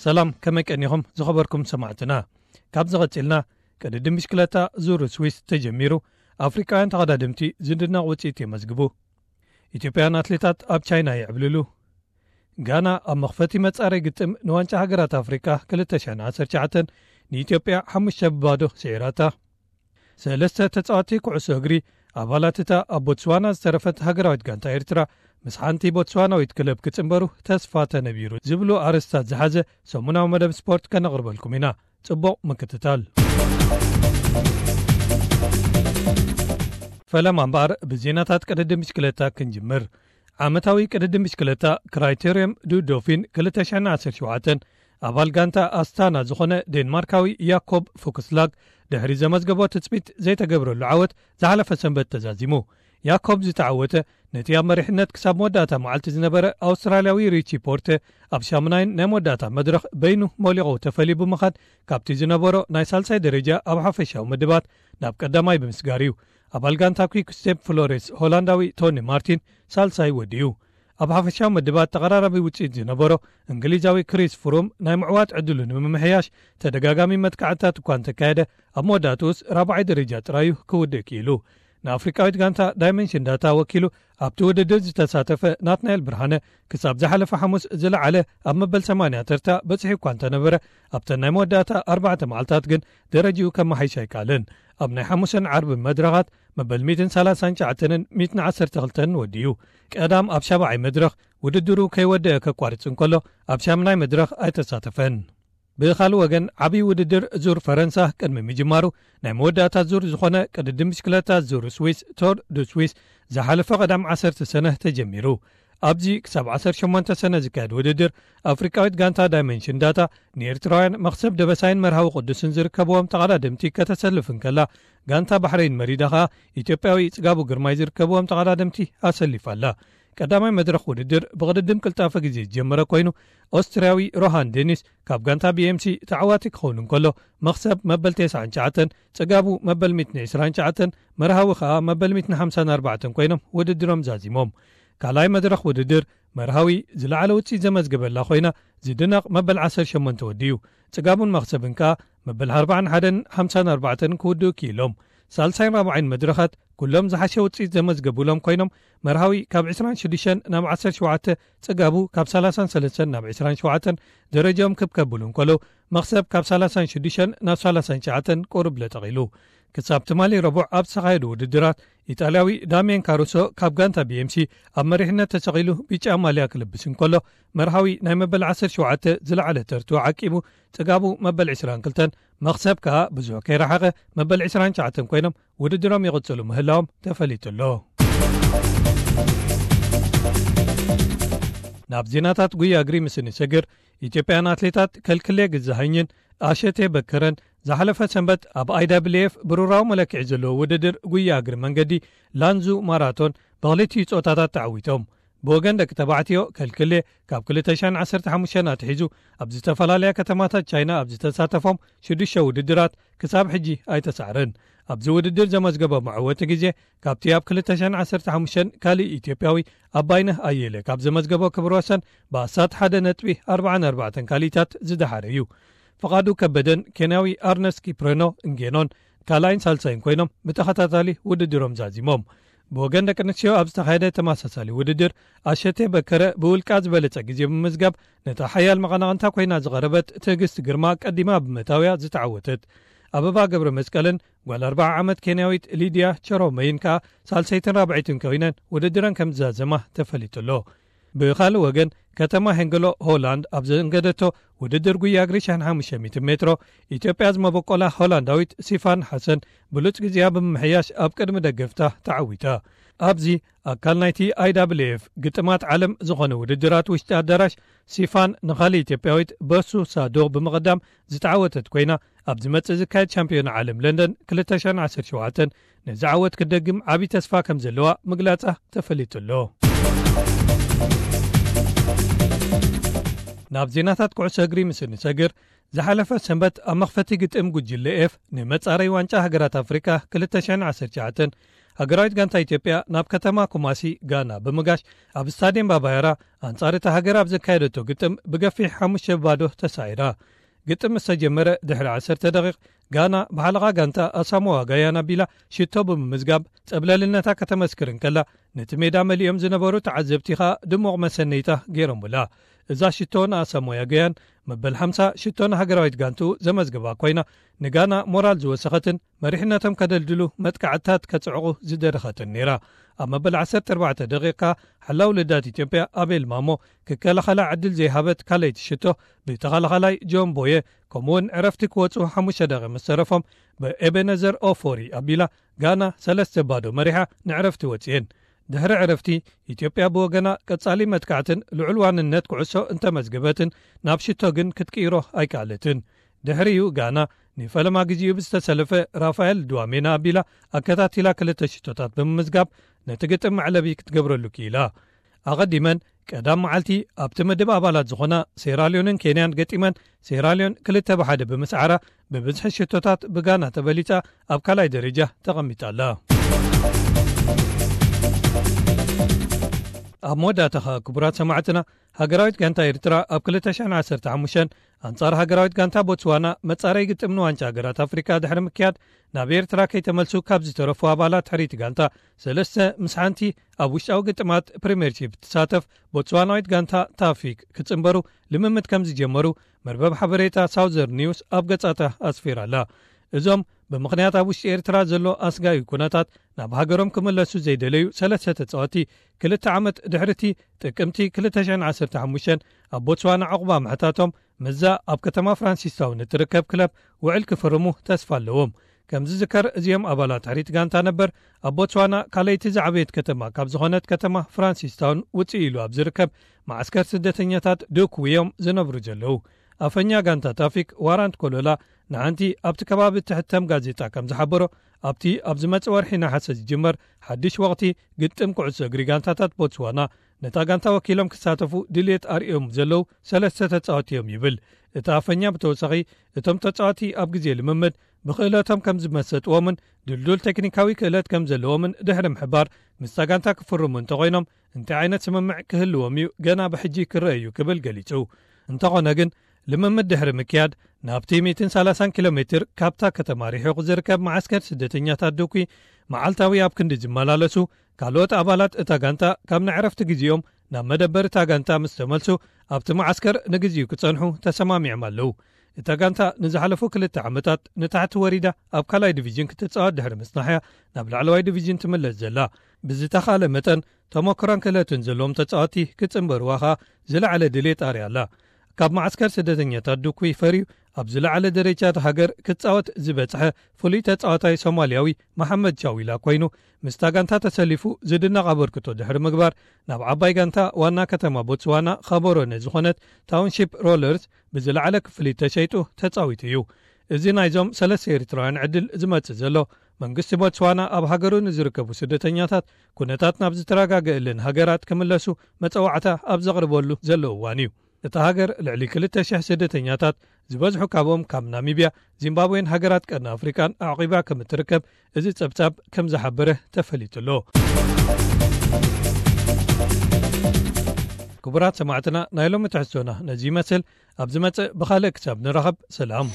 ሰላም፣ ከመይ ቀኒኹም ዝኸበርኩም ሰማዕትና? ካብ ዝቐጺልና፣ ቅድድም ብሽክለታ ዙር ስዊስ ተጀሚሩ፣ ኣፍሪቃውያን ተቐዳደምቲ ዝድነቕ ውጽኢት የመዝግቡ። ኢትዮጵያን ኣትሌታት ኣብ ቻይና ይዕብልሉ። ጋና ኣብ መኽፈቲ መጻረይ ግጥም ንዋንጫ ሃገራት ኣፍሪቃ ክልተ ሽሕን ዓሰርተ ትሽዓተን ንኢትዮጵያ ሓሙሽተ ብባዶ ስዒራታ። ሰለስተ ተጻወቲ ኩዕሶ እግሪ ኣባላት እታ ኣብ ቦትስዋና ዝተረፈት ሃገራዊት ጋንታ ኤርትራ ምስ ሓንቲ ቦትስዋናዊት ክለብ ክጽንበሩ ተስፋ ተነቢሩ ዝብሉ ኣርእስታት ዝሓዘ ሰሙናዊ መደብ ስፖርት ከነቕርበልኩም ኢና። ጽቡቕ ምክትታል። ፈለማ እምበኣር ብዜናታት ቅድድም ብሽክለታ ክንጅምር። ዓመታዊ ቅድድም ብሽክለታ ክራይቴርየም ዱ ዶፊን ክልተ ሽሕን ዓሰርተ ሸውዓተን ኣባል ጋንታ ኣስታና ዝኾነ ዴንማርካዊ ያኮብ ፉክስላግ ድሕሪ ዘመዝገቦ ትጽቢት ዘይተገብረሉ ዓወት ዝሓለፈ ሰንበት ተዛዚሙ። ያኮብ ዝተዓወተ ነቲ ኣብ መሪሕነት ክሳብ መወዳእታ መዓልቲ ዝነበረ ኣውስትራልያዊ ሪቺ ፖርተ ኣብ ሻሙናይን ናይ መወዳእታ መድረኽ በይኑ ሞሊቑ ተፈልዩ ብምኻድ ካብቲ ዝነበሮ ናይ ሳልሳይ ደረጃ ኣብ ሓፈሻዊ ምድባት ናብ ቀዳማይ ብምስጋር እዩ። ኣባል ጋንታ ኲክ ስቴፕ ፍሎሬስ ሆላንዳዊ ቶኒ ማርቲን ሳልሳይ ወዲኡ። ኣብ ሓፈሻዊ ምድባት ተቐራራቢ ውጽኢት ዝነበሮ እንግሊዛዊ ክሪስ ፍሩም ናይ ምዕዋት ዕድሉ ንምምሕያሽ ተደጋጋሚ መጥቃዕትታት እኳ እንተካየደ፣ ኣብ መወዳእትኡስ ራብዓይ ደረጃ ጥራዩ ክውድእ ክኢሉ። ንኣፍሪቃዊት ጋንታ ዳይመንሽን ዳታ ወኪሉ ኣብቲ ውድድር ዝተሳተፈ ናትናኤል ብርሃነ ክሳብ ዝሓለፈ ሓሙስ ዝለዓለ ኣብ መበል ሰማንያ ተርታ በጺሑ እኳ እንተነበረ፣ ኣብተን ናይ መወዳእታ ኣርባዕተ መዓልታት ግን ደረጅኡ ከመሓይሽ ኣይከኣለን። ኣብ ናይ ሓሙስን ዓርብን መድረኻት መበል ሚእትን ሰላሳን ትሽዓተንን ሚእትን ዓሰርተ ክልተን ወዲኡ። ቀዳም ኣብ ሻብዓይ መድረኽ ውድድሩ ከይወደአ ከቋርጽ እንከሎ፣ ኣብ ሻምናይ መድረኽ ኣይተሳተፈን። ብኻልእ ወገን፣ ዓብዪ ውድድር ዙር ፈረንሳ ቅድሚ ምጅማሩ፣ ናይ መወዳእታ ዙር ዝኾነ ቅድድም ብሽክለታ ዙር ስዊስ፣ ቶር ዱ ስዊስ፣ ዝሓለፈ ቀዳም ዓሰርተ ሰነ ተጀሚሩ። ኣብዚ ክሳብ ዓሰርተ ሸሞንተ ሰነ ዝካየድ ውድድር፣ ኣፍሪቃዊት ጋንታ ዳይመንሽን ዳታ ንኤርትራውያን መኽሰብ ደበሳይን መርሃዊ ቅዱስን ዝርከብዎም ተቐዳደምቲ ከተሰልፍ እንከላ፣ ጋንታ ባሕረይን መሪዳ ኸኣ ኢትዮጵያዊ ጽጋቡ ግርማይ ዝርከብዎም ተቐዳደምቲ ኣሰሊፋ ኣላ። ቀዳማይ መድረኽ ውድድር ብቕድድም ቅልጣፈ ግዜ ዝጀመረ ኮይኑ፣ ኦስትርያዊ ሮሃን ዴኒስ ካብ ጋንታ ቢ ኤም ሲ ተዓዋቲ ክኸውን እንከሎ፣ መኽሰብ መበል ተስዓን ትሽዓተን፣ ጽጋቡ መበል ሚእትን ዕስራን ትሽዓተን፣ መርሃዊ ኸኣ መበል ሚእትን ሓምሳን ኣርባዕተን ኮይኖም ውድድሮም ዛዚሞም። ካልኣይ መድረኽ ውድድር፣ መርሃዊ ዝለዓለ ውጽኢት ዘመዝገበላ ኮይና፣ ዝድነቕ መበል ዓሰርተ ሸሞንተ ወዲኡ። ጽጋቡን መኽሰብን ከኣ መበል ኣርባዓን ሓደን ሓምሳን ኣርባዕተን ክውድኡ ክኢሎም። ሳልሳይን ራብዓይን መድረኻት ኩሎም ዝሓሸ ውጽኢት ዘመዝገቡሎም ኮይኖም፣ መርሃዊ ካብ ዕስራን ሽዱሽተን ናብ ዓሰርተ ሸውዓተ፣ ጽጋቡ ካብ ሰላሳን ሰለስተን ናብ ዕስራን ሸውዓተን ደረጃኦም ክብ ከብሉ እንከሎ፣ መኽሰብ ካብ ሰላሳን ሽዱሽተን ናብ ሰላሳን ትሽዓተን ቁሩብ ለጠቕ ኢሉ። ክሳብ ትማሊ ረቡዕ ኣብ ዝተኻየዱ ውድድራት፣ ኢጣልያዊ ዳሚየን ካሩሶ ካብ ጋንታ ቢ ኤም ሲ ኣብ መሪሕነት ተሰቒሉ ቢጫ ማልያ ክልብስ እንከሎ፣ መርሃዊ ናይ መበል ዓሰርተ ሸውዓተ ዝለዓለ ተርትኡ ዓቂቡ፣ ጽጋቡ መበል ዕስራን ክልተን፣ መኽሰብ ከኣ ብዙሕ ከይረሓቐ መበል ዕስራን ትሽዓተን ኮይኖም ውድድሮም ይቕጽሉ ምህላዎም ተፈሊጡ ኣሎ። ናብ ዜናታት ጉያ እግሪ ምስ እንሰግር፣ ኢትዮጵያን ኣትሌታት ከልክሌ ግዛሃኝን ኣሸቴ በከረን ዝሓለፈ ሰንበት ኣብ ኣይ ዳብልዩ ኤፍ ብሩራዊ መለክዒ ዘለዎ ውድድር ጉያ እግሪ መንገዲ ላንዙ ማራቶን ብኽልቲኡ ጾታታት ተዓዊቶም። ብወገን ደቂ ተባዕትዮ ከልክሌ ካብ ክልተ ሽሕን ዓሰርተ ሓሙሽተን ኣትሒዙ ኣብ ዝተፈላለያ ከተማታት ቻይና ኣብ ዝተሳተፎም ሽዱሽተ ውድድራት ክሳብ ሕጂ ኣይተሳዕረን። ኣብዚ ውድድር ዘመዝገቦ መዕወቲ ግዜ ካብቲ ኣብ ክልተ ሽሕን ዓሰርተ ሓሙሽተን ካልእ ኢትዮጵያዊ ኣባይነህ ኣየለ ካብ ዘመዝገቦ ክብረ ወሰን ብኣስታት ሓደ ነጥቢ ኣርባዓን ኣርባዕተን ካልኢታት ዝደሓረ እዩ። ፍቓዱ ከበደን ኬንያዊ ኣርነስት ኪፕሬኖ እንጌኖን ካልኣይን ሳልሳይን ኮይኖም ብተኸታታሊ ውድድሮም ዛዚሞም። ብወገን ደቂ ኣንስትዮ ኣብ ዝተኻየደ ተመሳሳሊ ውድድር ኣሸቴ በከረ ብውልቃ ዝበለጸ ግዜ ብምምዝጋብ ነታ ሓያል መቐናቕንታ ኮይና ዝቐረበት ትዕግስቲ ግርማ ቀዲማ ብምእታውያ ዝተዓወተት። ኣበባ ገብረ መስቀልን ጓል ኣርብዓ ዓመት ኬንያዊት ሊድያ ቸሮመይን ከኣ ሳልሰይትን ራብዐይትን ኮይነን ውድድረን ከም ዝዛዘማ ተፈሊጡ ኣሎ። ብኻልእ ወገን፣ ከተማ ሄንገሎ ሆላንድ ኣብ ዘንገደቶ ውድድር ጉያ እግሪ ሽሕን ሓሙሽተ ሚእትን ሜትሮ፣ ኢትዮጵያ ዝመበቆላ ሆላንዳዊት ሲፋን ሓሰን ብሉጽ ግዜኣ ብምምሕያሽ ኣብ ቅድሚ ደገፍታ ተዓዊታ። ኣብዚ ኣካል ናይቲ ኣይ ዳብልዩ ኤፍ ግጥማት ዓለም ዝኾነ ውድድራት ውሽጢ ኣዳራሽ፣ ሲፋን ንኻልእ ኢትዮጵያዊት በሱ ሳዶ ብምቕዳም ዝተዓወተት ኮይና፣ ኣብ ዝመጽእ ዝካየድ ሻምፒዮና ዓለም ለንደን ክልተ ሽሕን ዓሰርተ ሸውዓተን ነዚ ዓወት ክትደግም ዓቢ ተስፋ ከም ዘለዋ ምግላጻ ተፈሊጡ ኣሎ። ናብ ዜናታት ኩዕሶ እግሪ ምስ እንሰግር፣ ዝሓለፈ ሰንበት ኣብ መኽፈቲ ግጥም ጉጅለ ኤፍ ንመጻረይ ዋንጫ ሃገራት ኣፍሪቃ ክልተ ሽሕን ዓሰርተ ትሽዓተን ሃገራዊት ጋንታ ኢትዮጵያ ናብ ከተማ ኩማሲ ጋና ብምጋሽ፣ ኣብ ስታድየም ባባያራ ኣንጻር እታ ሃገር ኣብ ዘካየደቶ ግጥም ብገፊሕ ሓሙሽተ ባዶ ተሳዒራ። ግጥም ምስ ተጀመረ ድሕሪ ዓሰርተ ደቂቕ፣ ጋና ብሓለቓ ጋንታ ኣሳሞዋ ጋያን ኣቢላ ሽቶ ብምምዝጋብ ጸብለልነታ ከተመስክር እንከላ፣ ነቲ ሜዳ መሊኦም ዝነበሩ ተዓዘብቲ ኸኣ ድሙቕ መሰነይታ ገይሮምላ። እዛ ሽቶ ንኣሳሞያ ጋያን መበል ሓምሳ ሽቶ ንሃገራዊት ጋንቱ ዘመዝግባ ኮይና፣ ንጋና ሞራል ዝወሰኸትን መሪሕነቶም ከደልድሉ መጥቃዕትታት ከጽዕቑ ዝደረኸትን ነይራ። ኣብ መበል ዓሰርተ ኣርባዕተ ደቂቕ ሓላው ልዳት ኢትዮጵያ ኣቤል ማሞ ክከላኸላ ዕድል ዘይሃበት ካልኣይቲ ሽቶ ብተኸላኸላይ ጆን ቦየ፣ ከምኡውን ዕረፍቲ ክወጹ ሓሙሽተ ደቂቕ ምስ ተረፎም ብኤቤነዘር ኦፎሪ ኣቢላ ጋና ሰለስተ ባዶ መሪሓ ንዕረፍቲ ወጽኤን። ድሕሪ ዕረፍቲ፣ ኢትዮጵያ ብወገና ቀጻሊ መጥቃዕትን ልዑል ዋንነት ኩዕሶ እንተመዝገበትን፣ ናብ ሽቶ ግን ክትቅይሮ ኣይከኣለትን። ድሕሪኡ ጋና ንፈለማ ግዜኡ ብዝተሰለፈ ራፋኤል ድዋሜና ኣቢላ ኣከታቲላ ክልተ ሽቶታት ብምምዝጋብ ነቲ ግጥም መዕለቢ ክትገብረሉ ክኢላ። ኣቐዲመን ቀዳም መዓልቲ ኣብቲ ምድብ ኣባላት ዝኾና ሴራልዮንን ኬንያን ገጢመን፣ ሴራልዮን ክልተ ብሓደ ብምስዓራ ብብዝሒ ሽቶታት ብጋና ተበሊጻ ኣብ ካልኣይ ደረጃ ተቐሚጣ ኣላ። ኣብ መወዳእታ ኸኣ ክቡራት ሰማዕትና፣ ሃገራዊት ጋንታ ኤርትራ ኣብ ክልተ ሽሕን ዓሰርተ ሓሙሽተን ኣንጻር ሃገራዊት ጋንታ ቦትስዋና መጻረይ ግጥም ንዋንጫ ሃገራት ኣፍሪቃ ድሕሪ ምክያድ፣ ናብ ኤርትራ ከይተመልሱ ካብ ዝተረፉ ኣባላት ሕርይቲ ጋንታ ሰለስተ ምስ ሓንቲ ኣብ ውሽጣዊ ግጥማት ፕሪምየርሺፕ ትሳተፍ ቦትስዋናዊት ጋንታ ታፊክ ክጽንበሩ ልምምድ ከም ዝጀመሩ መርበብ ሓበሬታ ሳውዘርን ኒውስ ኣብ ገጻታ ኣስፊራ ኣላ። እዞም ብምኽንያት ኣብ ውሽጢ ኤርትራ ዘሎ ኣስጋኢ ኩነታት ናብ ሃገሮም ክምለሱ ዘይደለዩ ሰለስተ ተጻወቲ፣ ክልተ ዓመት ድሕሪቲ ጥቅምቲ ክልተ ሽሕን ዓሰርተ ሓሙሽተን ኣብ ቦትስዋና ዕቑባ ምሕታቶም፣ ምስዛ ኣብ ከተማ ፍራንሲስታውን እትርከብ ክለብ ውዕል ክፍርሙ ተስፋ ኣለዎም። ከም ዝዝከር፣ እዚኦም ኣባላት ሕሪት ጋንታ ነበር ኣብ ቦትስዋና ካልኣይቲ ዝዓበየት ከተማ ካብ ዝኾነት ከተማ ፍራንሲስታውን ውጽእ ኢሉ ኣብ ዝርከብ መዓስከር ስደተኛታት ዱኩ እዮም ዝነብሩ ዘለዉ። ኣፈኛ ጋንታ ታፊክ ዋራንት ኮሎላ ንሓንቲ ኣብቲ ከባቢ እትሕተም ጋዜጣ ከም ዝሓበሮ፣ ኣብቲ ኣብ ዝመጽእ ወርሒ ነሓሰ ዝጅመር ሓድሽ ወቕቲ ግጥም ኩዕሶ እግሪ ጋንታታት ቦትስዋና፣ ነታ ጋንታ ወኪሎም ክሳተፉ ድልየት ኣርእዮም ዘለዉ ሰለስተ ተጻወቲ እዮም ይብል። እቲ ኣፈኛ ብተወሳኺ፣ እቶም ተጻወቲ ኣብ ግዜ ልምምድ ብክእለቶም ከም ዝመሰጥዎምን ድልዱል ቴክኒካዊ ክእለት ከም ዘለዎምን ድሕሪ ምሕባር፣ ምስታ ጋንታ ክፍርሙ እንተኾይኖም እንታይ ዓይነት ስምምዕ ክህልዎም እዩ ገና ብሕጂ ክረአ እዩ ክብል ገሊጹ። እንተኾነ ግን፣ ልምምድ ድሕሪ ምክያድ ናብቲ ሚእትን ሰላሳን ኪሎ ሜትር ካብታ ከተማ ርሒቑ ዝርከብ መዓስከር ስደተኛታት ዱኩ መዓልታዊ ኣብ ክንዲ ዝመላለሱ ካልኦት ኣባላት እታ ጋንታ ካብ ንዕረፍቲ ግዜኦም ናብ መደበር እታ ጋንታ ምስ ተመልሱ ኣብቲ መዓስከር ንግዜኡ ክጸንሑ ተሰማሚዖም ኣለዉ። እታ ጋንታ ንዝሓለፉ ክልተ ዓመታት ንታሕቲ ወሪዳ ኣብ ካልኣይ ዲቪዥን ክትጻወት ድሕሪ ምጽናሕያ ናብ ላዕለዋይ ዲቪዥን ትምለስ ዘላ። ብዝተኻለ መጠን ተመክሮን ክእለትን ዘለዎም ተጻወቲ ክጽንበርዋ ኸኣ ዝለዓለ ድሌት ኣርያ ኣላ። ካብ መዓስከር ስደተኛታት ዱኩ ፈርዩ ኣብ ዝለዓለ ደረጃ እታ ሃገር ክጻወት ዝበጽሐ ፍሉይ ተጻዋታይ ሶማልያዊ መሓመድ ቻዊላ ኮይኑ፣ ምስታ ጋንታ ተሰሊፉ ዝድነቕ ኣበርክቶ ድሕሪ ምግባር ናብ ዓባይ ጋንታ ዋና ከተማ ቦትስዋና ኻቦሮነ ዝኾነት ታውንሺፕ ሮለርስ ብዝለዓለ ክፍሊት ተሸይጡ ተጻዊቱ እዩ። እዚ ናይዞም ሰለስተ ኤርትራውያን ዕድል ዝመጽእ ዘሎ መንግስቲ ቦትስዋና ኣብ ሃገሩ ንዝርከቡ ስደተኛታት ኩነታት ናብ ዝተረጋገእለን ሃገራት ክምለሱ መጸዋዕታ ኣብ ዘቕርበሉ ዘሎ እዋን እዩ። እታ ሃገር ልዕሊ ክልተ ሽሕ ስደተኛታት ዝበዝሑ ካብኦም ካብ ናሚብያ፣ ዚምባብዌን ሃገራት ቀርኒ ኣፍሪቃን ኣዕቒባ ከም እትርከብ እዚ ጸብጻብ ከም ዝሓበረ ተፈሊጡ ኣሎ። ክቡራት ሰማዕትና፣ ናይ ሎሚ ትሕዝቶና ነዚ ይመስል። ኣብ ዝመጽእ ብኻልእ ክሳብ ንራኸብ፣ ሰላም።